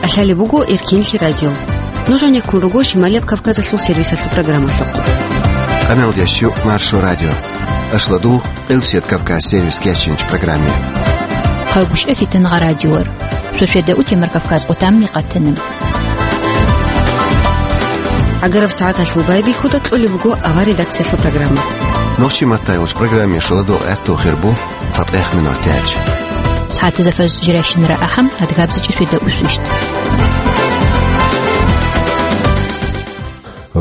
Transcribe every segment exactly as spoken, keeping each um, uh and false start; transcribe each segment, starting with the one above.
КӀалъалеб буго Эркенлъи радио. Нуж гьанеккун руго Шималияб Кавказалъул сервисалъул программалъухъ. Къаналдящу Маршо радио. Ашладул Къилсият Кавказ сервис кечинч программе. Хъагушев Фитангъа радиор. Шошеда утемар Кавказ отамни къатана. Агараб сагӀаталъул байбихьуда кьолеб буго авар редакциялъул программа. Нохчи маттайгъуч программе шоладо гӀатту хирбу. ЦатӀех минуталъ. СагӀатазда фаз жирайщинара ахӀам, адгабзичӀи шведа усвищт.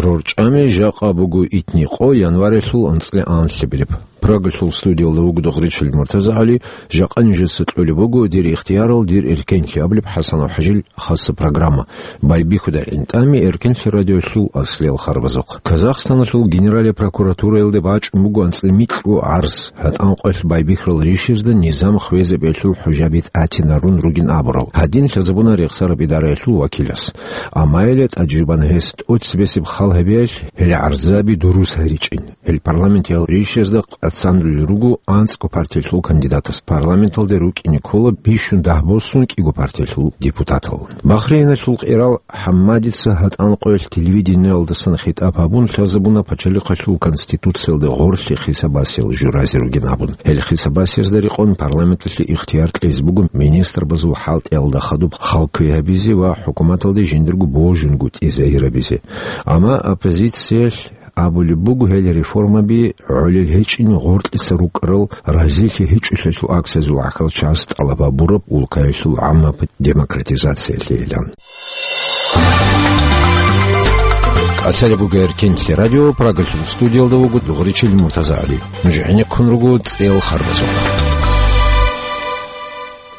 РорчӀами жакъа буго итни къо январилъул анцӀила анлъабилеб. Прагалъул студиялда вуго Догъричил МуртазагӀали, жакъа нижеца кьолеб буго дир ихтиярал, дир эркенлъи абулеб ХӀасанов ХӀажил хаса программа. Байбихьуда гӀинтӀами Эркенлъи радиолъул аслиял харбазухъ. Казахстаналъул Генералия прокуратураялде бачӀун буго анцӀила микьго гӀарз, гьатӀан къоялъ байбихьарал ришазда низам хвезе бегьлъул хӀужаби тӀатинарун ругин абурал. Гьадин лъазабуна рехсараб идараялъул вакилас. Амма гьеле тӀаджубан гьес тӀоцебесеб хал гьабиялъ, гьел гӀарзаби дурус гьаричӀин. Гьел парламентиял ришазда къацандулел руго анцӀго партиялъул кандидатас. Парламенталде рукӀине ккола бищун дагь босун кӀиго партиялъул депутатал. Бахрейналъул къирал ХӀаммадица гьатӀан къоялъ телевидениялдасан хитӀаб гьабун лъазабуна пачалихъалъул конституциялда гъорлъи хисабасел журазе ругин абун. Гьел хисабасезда рекъон парламенталъе ихтияр кьезе буго министрбазул хӀалтӀиялда хадуб хал кквей гьабизе ва хӀукуматалде жиндирго божунгутӀи загьирабизе. Амма оппозициялъ абулеб буго, гьел реформаби гӀолел гьечӀин гъоркьиса рукӀарал разилъи гьечӀолъиялъул акциязул гӀахьалчияс тӀалаб гьабураб улкаялъул гӀаммаб демократизациялъейилан. КӀалъалеб буго Эркенлъи радио, Прагалъул студиялда вуго Дугъричил МуртазагӀали. Нуж гӀенеккун руго цӀел харбазухъ.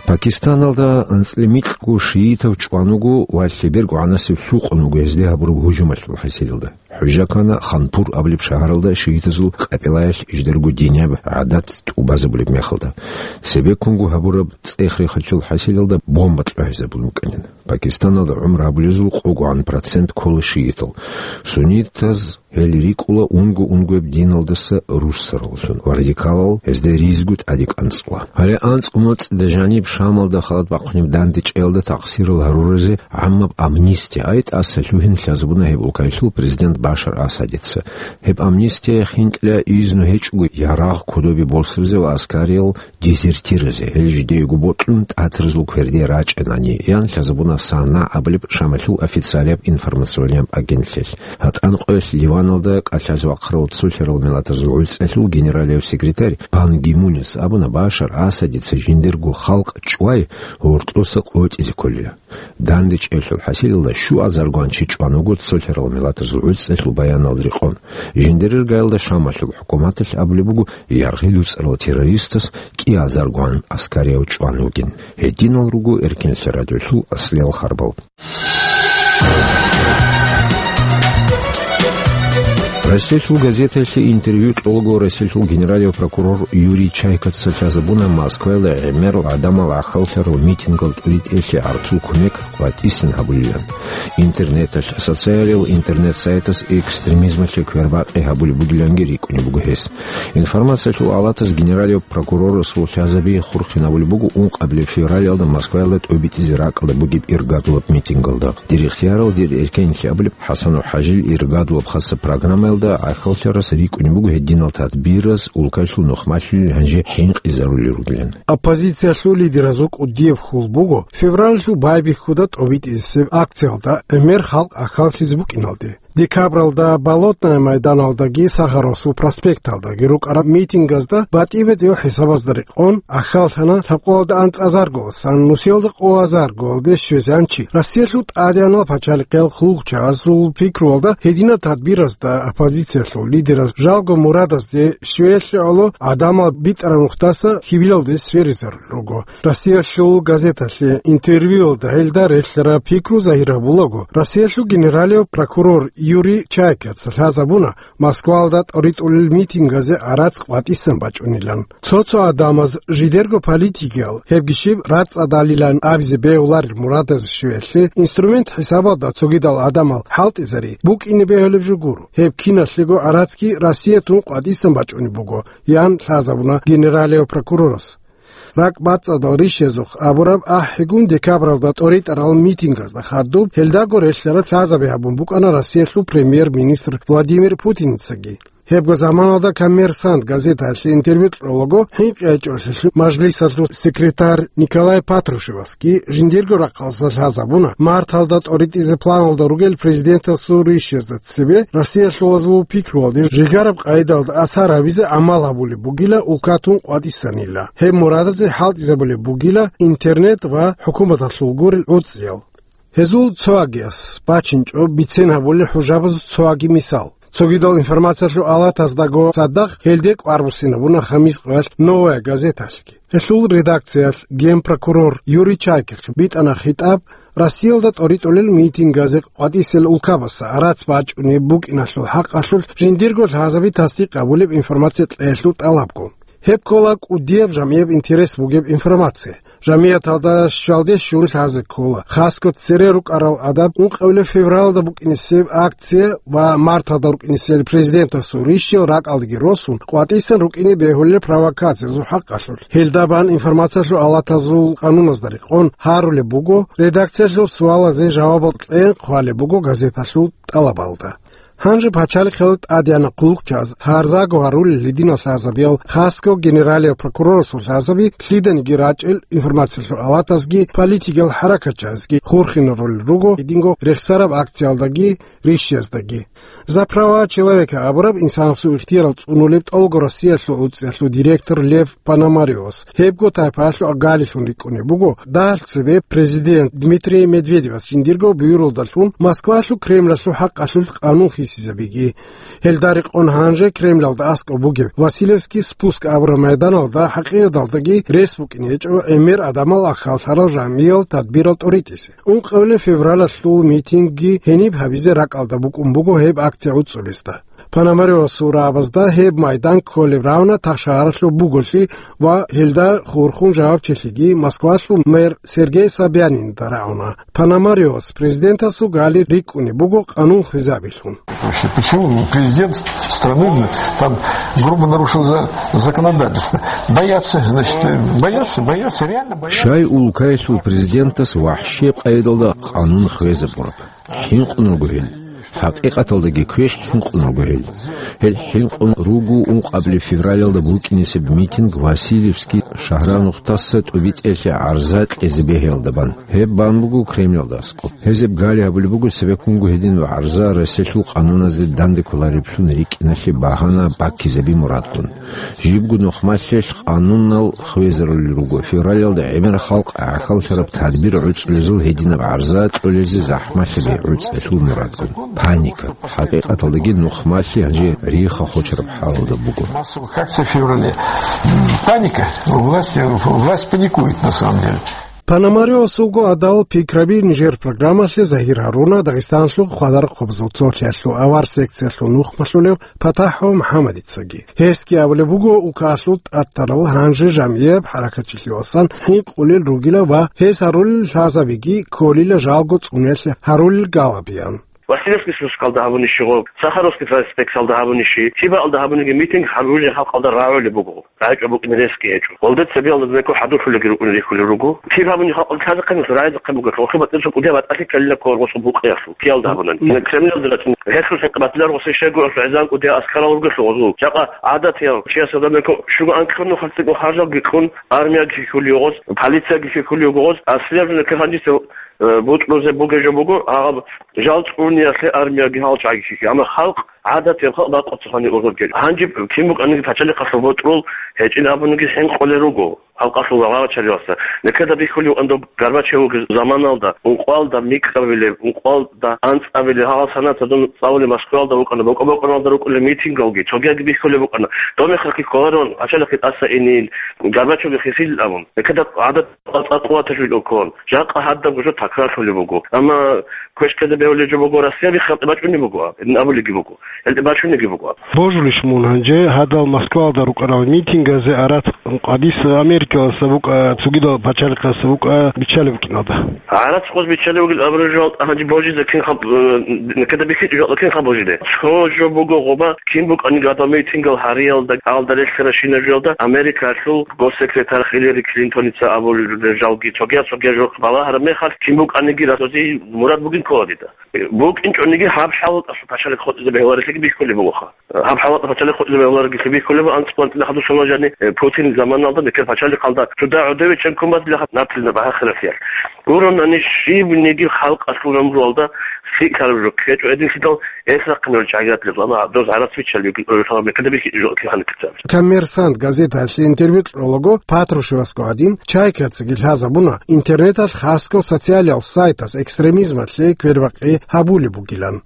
Пакистаналда анцӀила микьго шиитав чӀван вуго ва лъеберго гӀанасев лъукъун вуго гьезде гьабураб гьужумалъул хӀасилалда. ХӀужа ккана Ханпур абулеб шагьаралда шиитазул къапилаялъ жидерго динияб гӀадат тӀубазабулеб мехалда. Цебеккунго гьабураб цӀех-рехалъул хӀасилалда бомба кьвагьизабун букӀанин. Пакистаналда гӀумру гьабулезул къогогӀан процент ккола шиитал. Суннитаз гьел рикӀкӀула унго-унгояб диналдаса руссараллъун ва радикалал гьезда ризго тӀаде кӀанцӀула. Гьале анцӀго моцӀида жаниб Шамалда халат бахъунеб дандечӀеялда такъсирал гьаруразе гӀаммаб амнистия ай тӀаса лъугьин лъазабуна гьеб улкаялъул президент Башар Асадица. Гьеб амнистия хинкӀила изну гьечӀого ярагъ кодобе босаризе ва аскариял дезертиразе, гьел жидеего бокьун тӀатразул кверде рачӀинани, ян лъазабуна САНА абулеб Шамалъул официалияб информационияб агентлъиялъ. ГьатӀан къоялъ Ливаналда кӀалъазе вахъарав цолъарал миллатазул гӀуцӀалъул генералияв секретарь Пан Ги Мунис абуна, Башар Асадица жиндирго халкъ чӀвай гьоркьоса къотӀизе кколила. ДандечӀеялъул хӀасилалда щуазаргоан чи чӀван вуго цолъарал миллатазул гӀуцӀалъул баяналда рекъон. Жиндирер гаялда Шамалъул хӀукуматалъ абулеб буго, яргъи луцӀарал террористас кӀиазаргоан аскарияв чӀван вугин. Гьединал руго Эркенлъи радиолъул аслиял харбал. Россиялъул газетаялъе интервью кьолаго Россиялъул генералияв прокурор Юрий Чайкаца лъазабуна Москваялда гӀемерал гӀадамал гӀахьаллъарал митингал тӀуритӀеялъе гӀарцул кумек къватӀисан гьабулилан. Интернеталъ, социалиял интернет-сайтас экстремизмалъе квербакъи гьабулеб бугиланги рикӀкӀунеб буго гьес. Информациялъул алатас генералияв прокурорасул лъазаби хурхинабулеб буго ункъабилеб февралалда Москваялда тӀобитӀизе ракӀалда бугеб иргадулаб митингалда. Дир ихтиярал, дир эркенлъи абулеб ХӀасанов ХӀажил иргадулаб хаса программаялда гӀахьаллъарас рикӀкӀунеб буго гьединал тадбираз улкалъул нухмалъулел гьанже хӀинкъизарулел ругилан. Оппозициялъул лидеразул кӀудияб хьул буго февралалъул байбихьуда тӀобитӀисеб акциялда гӀемер халкъ гӀахьаллъизе букӀиналде. Декабралда Болотная майданалдаги Сахаровасул проспекталдаги рукӀараб митингазда батӀи-батӀиял хӀисабазда рекъон гӀахьаллъана лъабкъоялда анцӀазаргоялдасан нусиялда къоязаргоялде щвезегӀан чи. Россиялъул тӀадегӀанал пачалихъиял хъулухъчагӀазул пикруялда гьединаб тадбиразда оппозициялъул лидераз жалго мурадазде щвеялъе гӀоло гӀадамал битӀараб нухдаса хьибилалде сверизарулел руго. Россиялъул газеталъе интервьюялда гьелда релълъараб пикру загьир гьабулаго, Россиялъул генералияв прокурор Юрий Чайкаца лъазабуна Москваялда тӀоритӀулел митингазе гӀарац къватӀисан бачӀунилан. Цо-цо гӀадамаз жидерго политикиял, гьебги щиб рацӀцӀадалилан абизе бегьуларел мурадаз щвеялъе инструмент хӀисабалда цогидал гӀадамал хӀалтӀизари букӀине бегьулеб жо гуро. Гьеб киналъего гӀарацги Россиятун къватӀисан бачӀунеб буго, ян лъазабуна генералияв прокурорас. ракӀбацӀцӀадал ришязухъ абураб ахӀигун декабралда тӀоритӀарал митингазда хадуб, гьелдаго релълъараб лъазаби гьабун букӀана Россиялъул премьер-министр Владимир Путиницаги. Гьебго заманалда «Коммерсант» газеталъе интервью кьолаго, хӀинкъи гьечӀолъелъул мажлисалъул секретарь Николай Патрушевасги жиндирго рахъалъа лъазабуна, марталда тӀоритӀизе планалда ругел президентасул ришазда цебе Россиялъулазул пикруялде жигараб къайдалда асар гьабизе гӀамал гьабулеб бугила улкатун къватӀисанила. Гьеб мурадазе хӀалтӀизабулеб бугила интернет ва хӀукуматалъул гурел гӀуцӀиял. Гьезул цоагияс бачинчӀо бицен гьабулел хӀужабазул цоаги мисал. Цогидал информациялъул алатаздаго цадахъ гьелде кӀвар буссинабуна хамис къоялъ «Новая газеталъги». Гьелъул редакциялъ генпрокурор Юрий Чайкихъ битӀана хитӀаб Россиялда тӀоритӀулел митингазе къватӀисел улкабаса арац бачӀунеб букӀиналъул хӀакъалъулъ жиндирго лъазаби тасдикъ гьабулеб информация кьеялъул тӀалабго. Гьеб ккола кӀудияб жамгӀияб интерес бугеб информация. ЖамгӀияталда щвалде щун лъазе ккола, хасго цере рукӀарал гӀадаб ункъабилеб февралда букӀинесеб акция ва марталда рукӀинесел президентасул рищел ракӀалдеги росун, къватӀисан рукӀине бегьулел провокациязул хӀакъалъулъ. Гьелда бан информациялъул алатазул къануназда рекъон гьарулеб буго, редакциялъул суалазе жавабал кьен хъвалеб буго газеталъул тӀалабалда. Гьанже пачалихъал тӀадегӀанаб хъулухъчияз гьарзаго гьарулел гьединал лъазабиял, хасго генералияв прокурорасул лъазаби лъиданиги рачӀел информациялъул алатазги политикиял хӀаракатчиязги хурхинарулел руго гьединго рехсараб акциялдаги рищияздаги. «За права человека» абураб инсанасул ихтияр цӀунулеб тӀолго Россиялъул гӀуцӀиялъул директор Лев Пономарёвас гьебго тайпаялъул агалилъун рикӀкӀунеб буго, дагьалъ цебе президент Дмитрий Медведевас жиндирго буюралдалъун Москвалъул Кремлалъул хӀакъалъулъ къанун хисизабиги. Гьелда рекъон гьанже Кремлалда аскӀоб бугеб Васильевский спуск абураб майданалда хӀакъикъаталдаги рес букӀине гьечӀо гӀемер гӀадамал ахьаллъарал жамгӀиял тадбирал тӀоритӀизе. Ункъабилеб февралалъул митингги гьениб гьабизе ракӀалда букӀун буго гьеб акция гӀуцӀулесда. Пономарёвасул рагӀабазда гьеб майдан кколеб равна тахшагьаралъуб буголъи ва гьелда хурхун жавабчилъиги Москвалъул мэр Сергей Собянинда рагӀуна. Пономарёвас президентасул гали рикӀкӀунеб буго къанун хвезабилъун. Вообще, почему президент страны там грубо нарушил за-, законодательство? Боятся, значит, э, боятся, боятся, реально боятся. Щай улкаялъул президентас вахӀшияб къайдалда къанун хвезабураб? ХӀинкъун руго гьел. ХӀакъикъаталдаги квеш хӀинкъун руго гьел. Гьел хӀинкъун руго ункъабилеб февралалда букӀинесеб митинг Васильевский шагьранухъдаса ТӀубицӀеялъе гӀарза кьезе бегьиялда бан. Гьеб бан буго Кремлалда аскӀоб. Гьезеб гали гьабулеб буго цебеккунго гьединаб гӀарза Россиялъул къануназде данде кколареблъун рикӀкӀиналъе багьана баккизаби мурадгун. Жибго нухмалъилъ къанунал хвезарулел руго, февралалда гӀемер халкъ гӀахьаллъараб тадбир гӀуцӀулезул гьединаб гӀарза кьолезе захӀмалъаби гӀуцӀелъул мурадгун. Паника. ХӀакъикъаталдаги нухмалъи гьанже рихха хочараб хӀалалда буго. Массовых акций в феврале. Паника. Власть, власть паникует, на самом деле. Пономарёвасулго гӀадал пикраби нижер программалъе загьир гьаруна Дагъистаналъул хвадар-хъубзул цолъиялъул авар секциялъул нухмалъулев ПатахӀов МухӀаммадицаги. Гьесги абулеб буго, улкаялъул тӀатарал гьанже жамгӀияб хӀаракатчилъувасан хӀинкъулел ругила ва гьес гьарулел лъазабиги кколила жалго цӀунулъ гьарулел галабиян. Васильевский спускалда гьабунищи гъоб, Сахаровский проспекталда гьабунищи, кибаалда гьабуниги митинг гьабулел халкъалда рагӀулеб буго. РагӀичӀеб букӀин ресги гьечӀо. Гъолда цебеялда бекӀо хӀадурлъулеги рукӀунел рихьулел руго. Киб гьабуни халкъ лъазехъе нух, рагӀизехъе буго, хӀухьи батӀиса кӀудияб батӀалъи ккелила кколго букъиялъул, киялда гьабунани. Кремлалда рачӀун, гьелъул хӀинкъи батилар гъосин щайгуралъул гӀезан кӀудиял аскарал ругелъул гъозул. Жакъа гӀадатиял чиясда бекӀо, щуго анкьго нухалъ цӀикӀго харжалги кьун, армияги хихьулев гъоз, полицияги хихьулев гъоз, аслияб жо нилъер гьанжеца, э, бутӀрузе бугеб жо буго, гьаб жал цӀуниялъе армияги гьалчӀаги хихьи. Амма халкъ, гӀадатиял халкъ бакъуцахъани ургъургел. Гьанже кин букӀаниги пачалихъалъул бутӀрул гьечӀин абуниги хӀинкъулел руго халкъалъул вагъа-вачалиялъа. Нилъеда бихьулев анда Горбачев вугеб заманалда, ункъвалда микьабилеб, ункъвалда анцӀабилеб, гьагъал санат гьадин цӀалулеб Москваялда вукӀана, бокӀо-бокӀоналда рукӀулел митингалги, цогиянги бихьулеб букӀана. Доб мехалъги кколарун, пачалихъги тӀаса инин, Горбачевги хихьилин абун. Нилъеда гӀадат цӀакъ къуваталъул ккун. Жакъа гьадаб гужо такрарлъулеб буго. Амма квешлъизе бегьулеб жо буго, Россиялъ халкъ бачӀунеб буго, гьедин абулебги буго. гьелде бачунеги буго. Божулищ мун гьанже гьадал Москвалда рукӀарал митингазе арат къвадис Америкаласа букӀа, цогидал пачалихъаса букӀа биччалеб букӀиналда? Арат къоз биччалев вугил абураб жо гьанже божизе кинха, э, некада бихьичӀо жо кин ха божиде. Цо жо буго гъоба, кин букӀаниги гьадал митингал гьариялда, гьалда релълъараб щинаб жоялда Америкалъул госсекретарь Хиллери Клинтоница абулел жалги цогияз-цогияз жо балагьараб мехалъ, кин букӀаниги расози мурад бугин ккола дида. БукӀинчӀониги гьаб хӀалаталъул пачалихъ хутӀизе бегьуларелъиги бихьулеб бугоха. Гьаб хӀалаталъул пачалихъ хутӀизе бегьуларелъиги бихьулеб анцӀбукьанлъи хадусалда жаниб, э, Путин заманалда мекер пачалихъалда цо дагӀу девичӀеб кумазилахъ наплида багьахъиравлъиялъ. Гуронани щибниги халкъалъул гӀумруялда лъикӀлъараб жо ккечӀо гьединлъидал, эс рахъинарел чагӀиятилъ, амма доз гӀарац биччалев вугин, э, мекада бихьичӀо жо кин гьаниб. Коммерсант газеталъе интервью кьолаго Патрушевасго гьадин, Чайкацаги лъазабуна интернеталъ хасго социалиял сайтас экстремизмалъе квербакъи гьабулеб бугилан.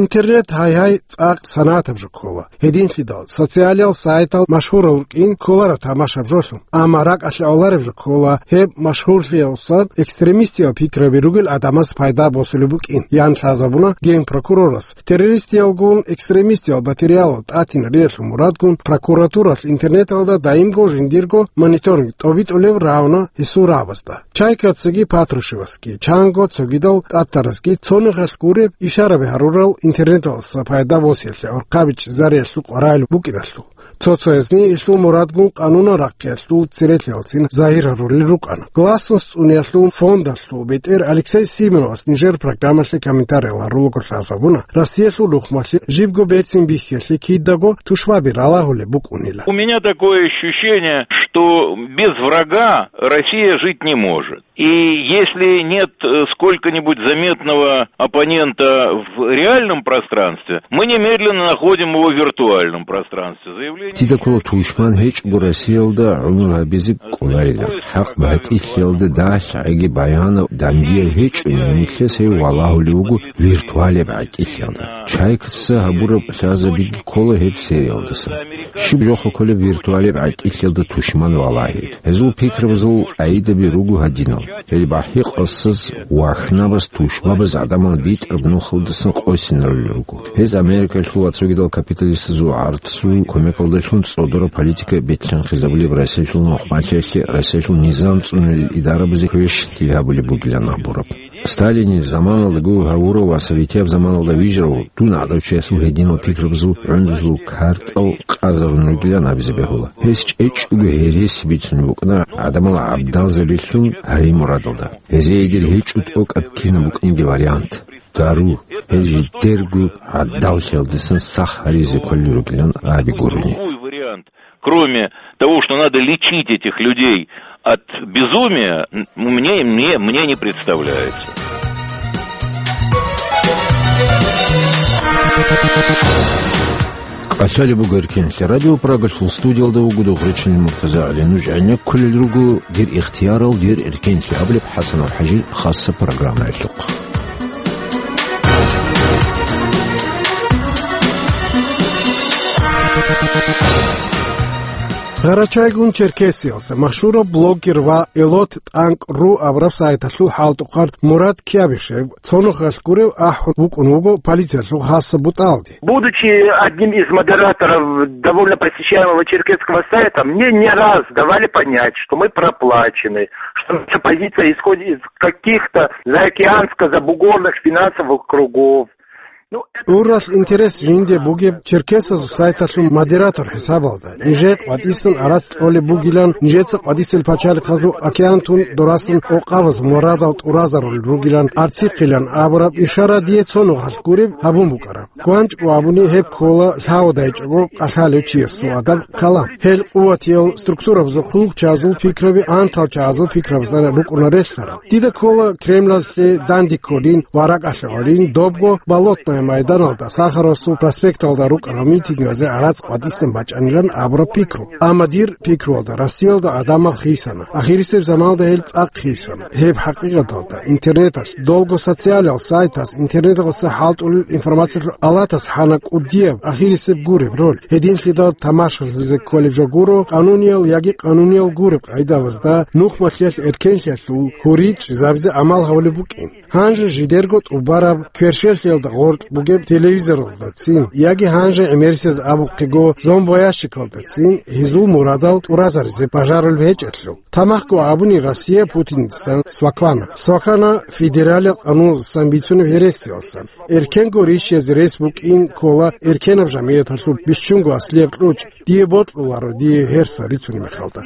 Интернет гьай-гьай цӀакъ санатаб жо ккола. Гьединлъидал социалиял сайтал машгьурал рукӀин кколараб тамашаб жолъун. Амма ракӀалъе гӀолареб жо ккола гьеб машгьурлъиялсан экстремистиял пикраби ругел гӀадамаз пайда босулеб букӀин, ян лъазабуна генпрокурорас. Террористиялгун экстремистиял материалал тӀатинариялъул мурадгун прокуратуралъ интернеталда даимго жиндирго мониторинг тӀобитӀулеб равна гьесул рагӀабазда. Чайкацаги Патрушевасги, чанго цогидал тӀатаразги цонухалъ гуреб ишараби гьарурал интернеталдаса пайда босиялъе гӀурхъаби чӀезариялъул къваригӀел букӀиналъул. Цо-цоязни гьелъул мурадгун къанунал рахъиялъул церелъиялцин загьир гьарулел рукӀана. Гласность цӀуниялъул фондалъул бетӀер Алексей Симоновас нижер программалъе комментариял гьарулаго лъазабуна, Россиялъул рухӀмалъе жибго берцин бихьиялъе кидаго тушбаби ралагьулеб букӀунила. У меня такое ощущение, что без врага Россия жить не может. И если нет, э, сколько-нибудь заметного оппонента в реальном пространстве, мы немедленно находим его в виртуальном пространстве. Заявление... Дида ккола тушман гьечӀого Россиялда гӀумру гьабизе кӀоларилан. ХӀакъ батӀилъиялда дагьлъи гӀеги баянав дандияв гьечӀони, гьелъ гьев валагьулев вуго виртуалияб гӀатӀилъиялда. Чайкаца гьабураб лъазабиги ккола гьеб сериялдасан. Щиб жоха кколеб виртуалияб гӀатӀилъиялда тушман валагьи? Гьезул пикрабазул къагӀидаби руго гьадинал. Гьел бахӀи-къасаз, вахнабаз, тушбабаз гӀадамал битӀараб нухалдасан къосинарулел руго. Гьез Америкалъул ва цогидал капиталистазул гӀарцул кумекалдалъун цӀодораб политика бетӀерхизабулеб Россиялъул нухмалъиялъе Россиялъул низам цӀунулел идарабазе квешлъи гьабулеб бугилан абураб. Сталинил заманалдаго гьавурав ва советияб заманалда вижарав дун гӀадав чиясул гьединал пикрабазул гӀундузул картӀал къазарун ругилан абизе бегьула. Гьес чӀечӀого гьереси бицун букӀана гӀадамал гӀабдалзабилъун гьарин мурадалда. Гьезие дир гьечӀо тӀокӀаб кинаб букӀинги вариант. Дару, гьел жидерго гӀадаллъиялдасан сах гьаризе кколел ругилан аби гурони. Кроме того, что надо лечить этих людей от безумия, н-, мне, мне, мне не представляется. КӀалъалеб буго Эркенлъи радио, Прагалъул студиялда вуго Дугъричилин МуртазагӀали. Нуж гӀенеккулел руго «Дир ихтиярал, дир эркенлъи» абулеб ХӀасанов ХӀажил хасса программаялъухъ. Гъарачайгун Черкесиялса машгьурав блогер ва Элот тӀанкӀ ру абураб сайталъул хӀалтӀухъан Мурад Кябишев цонухалъ гурев ахӀун вукӀун вуго полициялъул хасса бутӀалде. Будучи одним из модераторов довольно посещаемого черкесского сайта, мне не раз давали понять, что мы проплачены, что наша позиция исходит из каких-то заокеанско-забугорных финансовых кругов. Ну, это... Уралъ интерес жинде бугеб черкесазул сайталъул модератор хӀисабалда. Нижее къватӀисан арацӀ кьолеб бугилан, нижеца къватӀисел пачалихъазул океантун дорасан къокъабаз мурадал тӀуразарулел ругилан, арцихъилан абураб ишара дие цо нухалъ гуреб гьабун букӀараб. ГванчӀго абуни гьеб ккола лъавадайчӀого кӀалъалев чиясул адаб калам. Гьел къуватиял структурабазул хъулухъчазул пикраби антал чагӀазул пикрабазда букӀуна релълъарал. Дида ккола Кремлалъе данде кколин ва ракӀалъе гӀолин добго Болотное майданалда, Сахаровасул проспекталда рукӀарал митингазе арацӀ къватӀисан бачӀанилан абураб пикру. Амма дир пикруялда Россиялда гӀадамал хисана. Ахирисеб заманалда гьел цӀакъ хисана. Гьеб хӀакъикъаталда интернеталъ, долго социалиял сайтас, интернеталъуса хӀалтӀулел информациялъул алатас хӀана кӀудияб ахирисеб гуреб роль. Гьединлъидал тамашалъизе кколеб жо гуро, къануниял яги къануниял гуреб къагӀидабазда нухмалъиялъ эркенлъиялъул гьури чӀезабизе гӀамал гьабулеб букӀин. Гьанже жидерго тӀубараб кверщелъиялда гъоркь бугеб телевизоралдацин, яги гьанже гӀемерисез абухъего зомбоящикалдацин гьезул мурадал тӀуразаризе бажарулеб гьечӀелъул. Тамахго абуни, Россия Путиндасан сваквана. Сваквана федералил къануналдасан бицунеб гьересиялдасан. Эркенго рищизе рес букӀин ккола эркенаб жамигӀяталъул бищунго аслияб кьучӀ: «Дие бокьуларо дие гьерса рицунеб мехалда».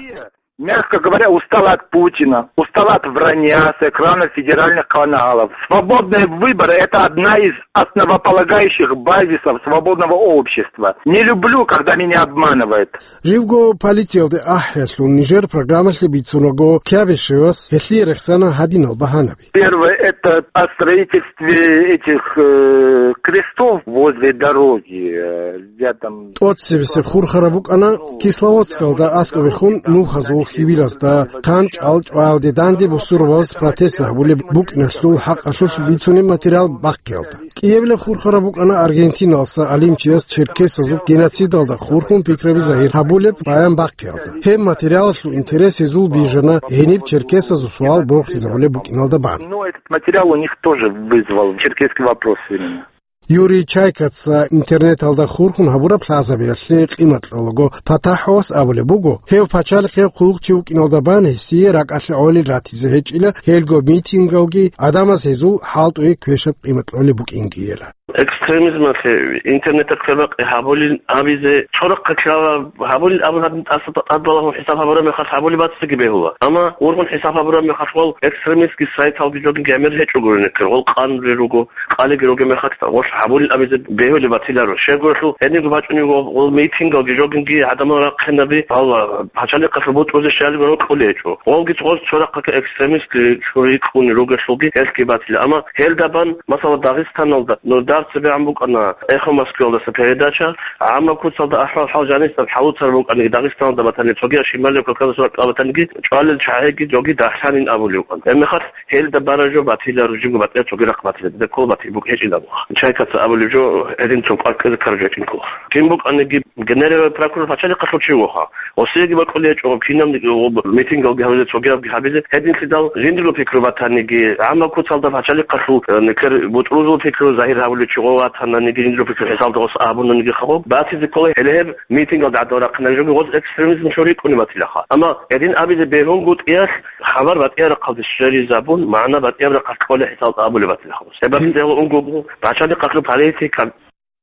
Мягко говоря, устала от Путина, устала от вранья с экранов федеральных каналов. Свободные выборы — это одна из основополагающих базисов свободного общества. Не люблю, когда меня обманывают. Живго полициялде ахӀиялъул нижер программалъе бицунаго, Кябешевас гьелъие рехсана гьадинал багьанаби. Первое — это о строительстве этих, э, крестов возле дороги, э, рядом. ТӀоцебесеб хурхараб букӀана Кисловодскалда аскӀобехун нухазул хьибилазда хъанчӀал чӀваялде данде бусурбабаз протест гьабулеб букӀиналъул хӀакъалъулъ бицунеб материал бахъиялда. КӀиабилеб хурхараб букӀана аргентиналса гӀалимчияс черкесазул геноцидалда хурхун пикраби загьир гьабулеб баян бахъиялда. Гьеб материалалъул интерес гьезул бижана гьениб черкесазул суал борхизабулеб букӀиналда бан. Но этот материал у них тоже вызвал черкесский вопрос именно. Юрий Чайкаца интернеталда хурхун гьабураб лъазабиялъе къимат кьолаго, ПатахӀовас абулеб буго, гьев пачалихъе хъулухъчи вукӀиналда бан гьесие ракӀалъе гӀолел ратизе гьечӀила, гьелго митингалги, гӀадамаз гьезул хӀалтӀуе квешаб къимат кьолеб букӀингийила. Экстремизмалъе интернеталъ квербакъи гьабулин абизе цо рахъалъ ккела, гьабулин абун гьадин тӀаса тӀадбалагьун хӀисаб гьабураб мехалъ гьабулеб бацӀцӀиги бегьула. Амма ургъун хӀисаб гьабураб мехалъ гъол экстремистский сайталги жогинги гӀемер гьечӀогури нилъер, гъол къануни руго, къалиги ругеб мехалъ гъолъ гьабулин абизе бегьулеб батиларо. Щайгурелъул гьединго бачӀунего гъол митингалги жогинги гӀадамал рахъинаби, гьалла пачалихъалъул бутӀрузе щалиго рокьулей гьечӀо. Гъолги гъоз цо рахъалъ экстремистли чури кьуни ругелъулги гьелъги батила. Амма гьелда бан, масала, Дагъистаналда нурдар цебегӀан букӀана «Эхо Москвы»ялдаса передача, гӀаммаб куцалда ахӀвал-хӀал жанисаб хӀалуцар букӀаниги, Дагъистаналда батани, цогияв Шималияб Кавказалъул ракьалда батаниги, чӀвалел чагӀиги жоги дагьлъанин абулев вукӀана. Гьебмехалъ гьелда бара жо батила, ружинго батила, цоги рахъ батила, дида ккола батил букӀ гьечӀин абуха. Чайкаца абулеб жо гьедин цо кӀвар кьезе ккараб жо гьечӀин ккола. Кин букӀаниги, генералил прокурор пачалихъалъул чи вуха. Осиеги бакӀулей гьечӀо, кинабниги митингалги гьабизе, цогиябги гьабизе, гьединлъидал жиндирго пикру батаниги, гӀаммаб куцалда пачалихъалъул, э, нилъер бутӀрузул пикру загьир гьабулев чи гъов ватананиги, жиндирго пикру хӀисалда гъос абунаниги хъагъо, батизе ккола гьеле гьеб митингалда гӀадал рахъинарин жоги гъоз экстремизм чури ккуни батилаха. Амма гьедин абизе бегьунгутӀиялъ хабар батӀияб рахъалде щвезабун, магӀна батӀияб рахъалъ кколей хӀисалда абулеб батилаха гъос. Гьеб батизе гьело унго буго пачалихъалъул политика.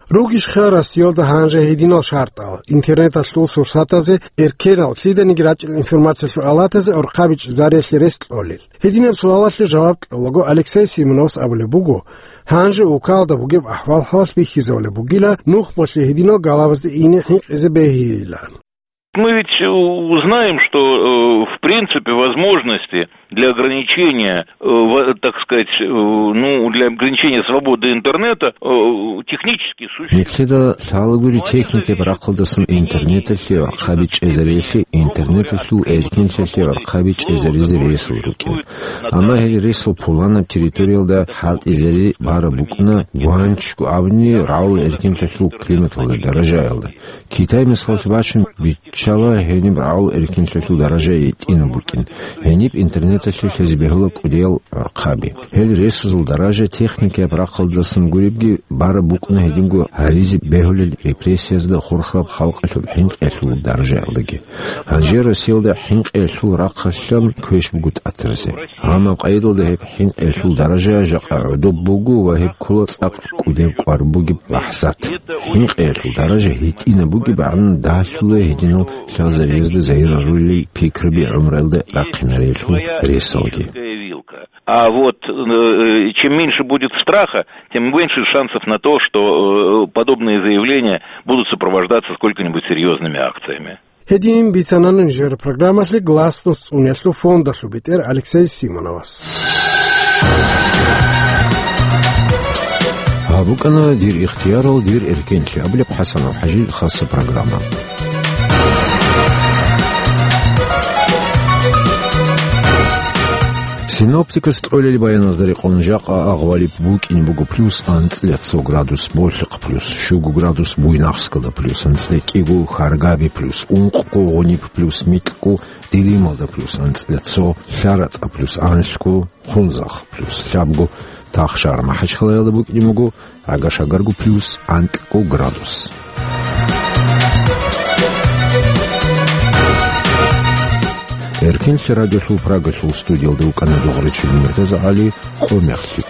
Ругищха Россиялда гьанже гьединал шартӀал: интернеталъул сурсатазе, эркенал, лъиданиги рачӀел информациялъул алатазе гӀурхъаби чӀезариялъе рес кьолел? Гьединаб суалалъе жаваб кьолаго, Алексей Симоновас абулеб буго, гьанже улкалда бугеб ахӀвал-хӀалалъ бихьизабулеб бугила, нухбалъе гьединал галабазде ине хӀинкъизе бегьилан. Мы ведь, э, узнаем, что, э, в принципе, возможности для ограничения, э, во-, так сказать, э, ну, для ограничения свободы интернета, э, технически существует. Нилъеда лъалагури техникияб рахъалдасан интернеталъе гӀурхъаби чӀезариялъе, интернеталъул эркенлъиялъе гӀурхъаби чӀезаризе ресал рукӀин. Амма гьел ресал пуланаб территориялда хӀалтӀизари бараб букӀуна, гьанчго абуни, рагӀул эркенлъиялъул климаталда даражаялда. Китай мисаллъи бачун биччала гьениб рагӀул эркенлъиялъул даража гьитӀинаб букӀин, гьениб интернеталъе лъезе бегьула кӀудиял гӀурхъаби. Гьел ресазул даража техникияб рахъалдасан гуребги бараб букӀуна гьединго гьаризе бегьулел репрессиязда хурхараб халкъалъул хӀинкъиялъул даражаялдаги. Гьанже Россиялда хӀинкъиялъул рахъалъан квеш буго тӀатаризе. Амма къайдалда гьеб хӀинкъиялъул даража жакъа гӀодоб буго ва гьеб ккола цӀакъ кӀудеб квар бугеб бахӀсат. ХӀинкъиялъул даража гьитӀинаб бугеб гӀадин далъула гьединал лъазариязда загьир гьарулел пикраби гӀумруялда рахъинариялъул ресалги. А вот, э, чем меньше будет страха, тем меньше шансов на то, что, э, подобные заявления будут сопровождаться сколько-нибудь серьёзными акциями. Гьедин бицана нижер программалъе Гласность цӀунелъул фондалъул бетӀер Алексей Симоновас. Гьаб букӀана «Дир ихтиярал, дир эркенлъи» абулеб ХӀасанов ХӀажил хаса программа. Синоптикас кьолел баяназда рекъон жакъа агъвалиб букӀин буго плюс анцӀила цо градус Болъихъ, плюс щуго градус Буйнакскалда, плюс анцӀила кӀиго Харгаби, плюс ункъго Гъуниб, плюс микьго Дилималда, плюс анцӀила цо ЛъаратӀа, плюс анлъго Хунзахъ, плюс лъабго Тахшар. МахӀачхалаялда букӀин буго гӀага-шагарго плюс анкьго градус. Эркин лъарадулъул Прагалъул студиялда вукӀана дугъричил Муртаза ГӀали, къо мехлъи